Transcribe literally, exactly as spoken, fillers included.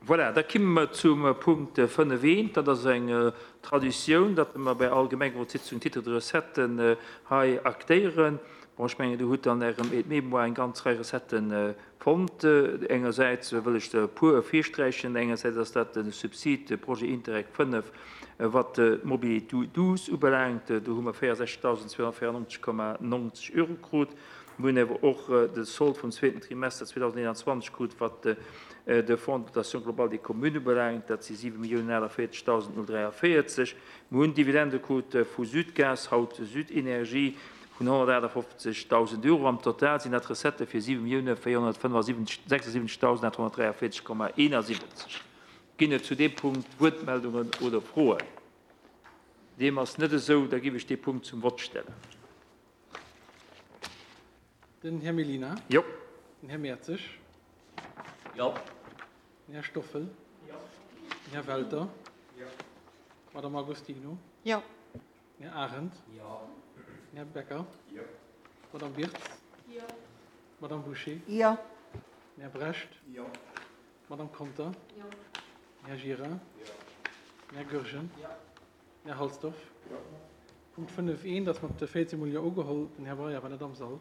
Voilà, da kimme mer zum Punkt fënnef eent. Dat ass eng Traditioun, datt mer bei all Gemengerotssitzung Titre de recetten hei aktéieren. Bon, ech mengen, Dir hutt an Ärem Aide-mémoire eng ganz Rei Recetten fonnt. Engersäits wëll ech der e puer ervirsträichen. Engersäits ass dat de Subsid Projet Interreg fënnef, wat d'Mobilité douce ubelaangt. Do hu mer véierundsechzegtausendzweehonnertvéierennonzeg Komma nonzeg Euro krut. Mir hunn awer och de Solde vum zweeten Trimester zweedausendeenanzwanzeg krut, wat de Fonds de dotation globale des communes ubelaangt. Dat si siwe Milliounen aachtavéierzegtausend null dräiavéierzeg. Mir hunn Dividende krut vu Südgas, haut Südenergie, vun honnertaachtafoffzegtausend Euro. Am Total sinn dat Recettë fir siwe Millioune véierhonnertfënnefasiwwenzeg sechsundsiwwenzegtausend aathonnertdräiavéierzeg Komma eenasiwwenzeg. Ginn et zu deem Punkt Wuertmeldungen oder Froen? Deem ass net esou, da géif ech dee Punkt zum Vott stellen. Den Här Mellina. Jo. Den Här Mertzig. Jo. Den Här Stoffel. Jo. Den Här Welter. Jo. Madame Agostino. Jo. Den Här Arendt. Jo. Den Här Becker. Jo. Madame Wirtz. Jo. Madame Bouché. Jo. Den Här Brecht. Jo. Madame Conter. Jo. Den Här Gira. Jo. Den Här Goergen. Jo. Den Här Halsdorf. Jo. Punkt fënnef eent ass mat véierzéng Mol Jo ugeholl. Den Här Breyer war net am Sall.